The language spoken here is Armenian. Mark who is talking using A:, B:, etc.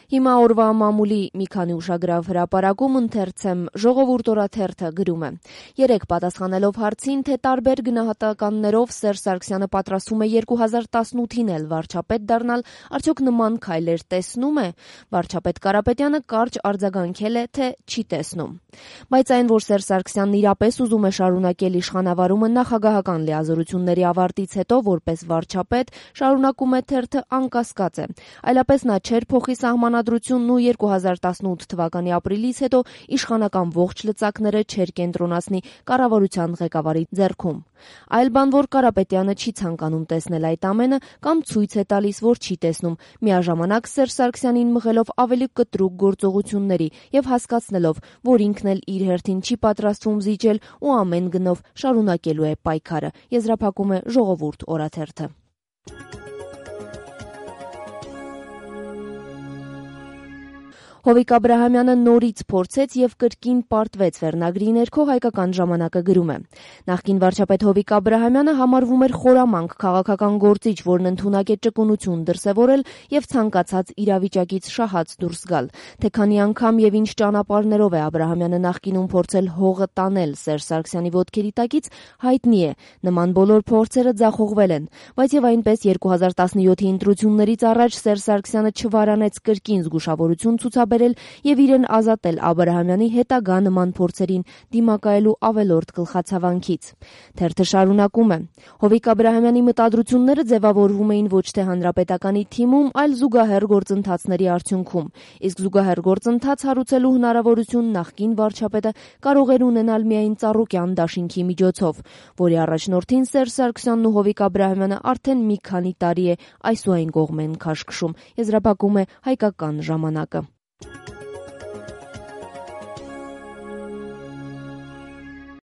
A: Հիմա օրվա մամուլի մի քանի ուշագրավ հրապարակում ընթերցեմ «Ժողովուրդ» օրաթերթը գրում է. երեկ պատասխանելով հարցին, թե տարբեր գնահատականներով Սերժ Սարգսյանը պատրաստվում է 2018-ին էլ վարչապետ դառնալ, արդյոք նման քայլեր տեսնում է, վարչապետ Կարապետյանը կարճ արձագանքել է, թե չի տեսնում։ Բայց այն, որ Սերժ Սարգսյանն իրապես ուզում է շարունակել իշխանավարումը նախագահական լիազորությունների ավարտից հետո որպես վարչապետ, շարունակում է թերթը, անկասկած է, այլապես նա չէր փոխի սահմանադրությունն ու 2018 թվականի ապրիլից հետո իշխանական ողջ լծակները չէր կենտրոնացնի կառավարության ղեկավարի ձեռքում։ Այլ բան, որ Կարապետյանը չի ցանկանում տեսնել այդ ամենը կամ ցույց է տալիս, որ չի տեսնում, միաժամանակ Սերժ Սարգսյանին մղելով ավելի կտրուկ գործողությունների եւ հասկացնելով, որ ինքն էլ իր հերթին չի պատրաստվում զիջել ու ամեն գնով շարունակելու է պայքարը, եզրափակում է «Ժողովուրդ» օրաթերթը։ Հովիկ Աբրահամյանը նորից փորձեց եւ կրկին պարտվեց վերնագրի ներքո հայկական ժամանակը գրում է. նախկին վարչապետ Հովիկ Աբրահամյանը համարվում էր խորամանկ քաղաքական գործիչ, որն ընդունակ է ճկունություն դրսևորել եւ ցանկացած իրավիճակից շահած դուրս գալ։ Թե քանի անգամ եւ ինչ ճանապարհներով է Աբրահամյանը նախկինում փորձել հողը տանել Սերժ Սարգսյանի ոտքերի տակից, հայտնի է։ Նման բոլոր փորձերը ձախողվել են, բայց եւ այնպես 2017-ի ընտրություններից առաջ Սերժ Սարգսյանը չվարանեց կրկին զգուշավորություն ցուցաբերել եւ իրեն ազատել Աբրահամյանի հետագա նման փորձերին դիմակայելու ավելորդ գլխացավանքից։ Թերթը շարունակում է. Հովիկ Աբրահամյանի մտադրությունները ձևավորվում էին ոչ թե հանրապետականի թիմում, այլ զուգահեռ գործընթացների արդյունքում։ Իսկ զուգահեռ գործընթաց հարուցելու հնարավորություն նախկին վարչապետը կարող էր ունենալ միայն Ծառուկյան դաշինքի միջոցով, որի առաջնորդին Սերժ Սարգսյանն ու Հովիկ Աբրահամյանը արդեն մի քանի տարի է այս ու այն կողմ են քաշքշում, եզրափակում է հայկական ժամանակը։